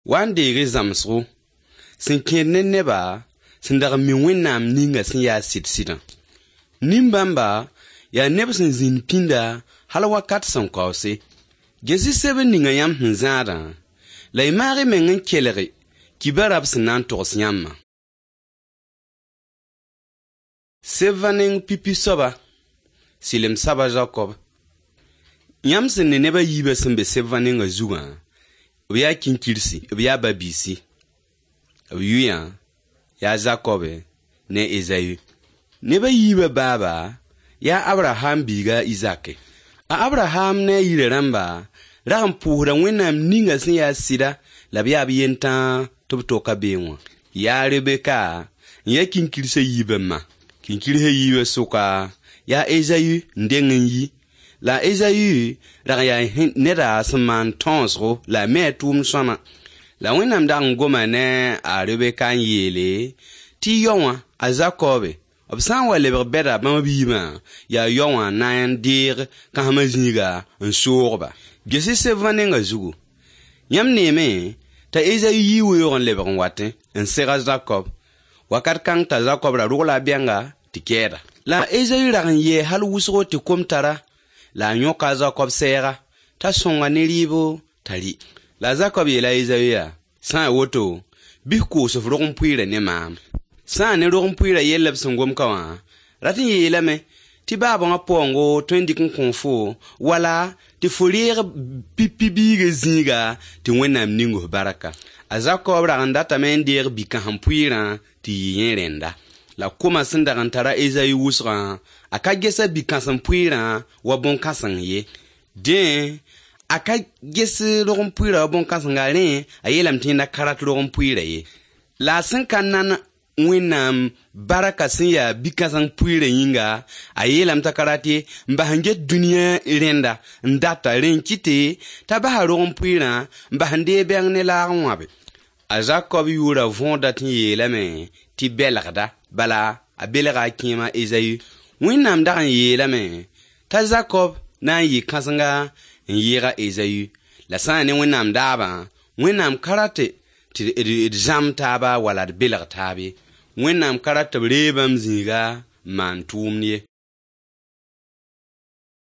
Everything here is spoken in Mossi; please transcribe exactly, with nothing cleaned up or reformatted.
Wa n deeg-y zãmsgo sẽn kẽed ne neba sẽn dag n mi Wẽnnaam ninga sẽn yaa sɩd-sɩdã. Nin-bãmba yaa neb sẽn zĩnd pĩnda hal wakat sẽn kaoose. Ges-y sebr ninga yãmb sẽn zãadã, la y maag y meng n kelg kibarã b sẽn na n togs yãmbã. Sebã neng pipi soaba, sɩlem soab a Zakob. Yãmb sẽn ne neb a yiibã sẽn be sebã nengã zugã, b yaa kĩnkirsi, b yaa ba-biisi. B yʋyã yaa Zakobe ne Ezayu. Neb a yiibã baaba yaa Abraham biiga a Izake. A Abraham ne a yirã rãmba rag n pʋʋsda Wẽnnaam ninga sẽn yaa sɩda la b yaa b yentãag tɩ b toka beẽ wã. Yaa Rebeka n yaa kĩnkirsã yiibã ma. Kĩnkirsã yiibã sʋka yaa Ezayu n deng n yi. La Ezayu rag n yaa neda sẽn maan tõosgo la a me a tʋʋmd sõama. La Wẽnnaam dag n goma ne a Rebeka n yeele tɩ yao wã a Zakobe b sã n wa lebg bɛda bãmb b yiibã yaa yao wã na n deeg kãsmã zĩiga n soog-ba. Ges-y sebã nengã zugu. Yãmb neeme t'a Ezayu yii weoog n lebg n watẽ n seg a Zakob. Wakat kãng t'a Zakob ra rogla a bɛnga tɩ kɛɛda. La Ezayu rag n yɛɛ hal wʋsgo tɩ kom tara la a yõka a Zakob sɛɛga t'a sõnga ne rɩɩbo t'a rɩ. La a Zakob yeela a Ezayu yaa, sã n woto, bɩ f koos f rog-n-pʋɩɩrã ne maam. Sã n ne rog-n-pʋɩɩrã yell b sẽn gom ka wã, rat n yeelame tɩ baaba wã paoongo tõe n dɩk n kõ fo wala tɩ fo reeg pipi biigã zĩiga tɩ Wẽnnaam ning f barka. A Zakob rag n datame n deeg bi-kãsem-pʋɩɩrã tɩ yɩ yẽ rẽnda. La koma sẽn dag n tara Ezayu wʋsgã, a ka ges a bi-kãsem-pʋɩɩrã wa bõn-kãseng ye. Dẽ, a ka ges rog-n-pʋɩɩrã wa bõn-kãsenga rẽ a yeelame tɩ yẽnda ka rat rog-n-pʋɩɩrã ye. La a sẽn ka nan Wẽnnaam barka sẽn yaa bi-kãseng pʋɩɩrã yĩnga, a yeelame t'a ka rat ye n bas n get dũniyã rẽnda n data rẽ n kɩte t'a basa rog-n-pʋɩɩrã n bas n deeg bɛng ne laag n wãbe. A Zakob yʋʋra võoda tɩ n yeelame tɩ belgda, bala a belga a kẽema Ezayu. Wẽnnaam dag n yeelame t'a Zakob na n yɩ kãsenga n yɩɩg a Ezayu. La sã n ne Wẽnnaam daabã, Wẽnnaam ka rate tɩ d zãmb taaba wala d belg taab ye. Wẽnnaam ka rat tɩ b reeg bãmb zĩiga n maan tʋʋmd ye.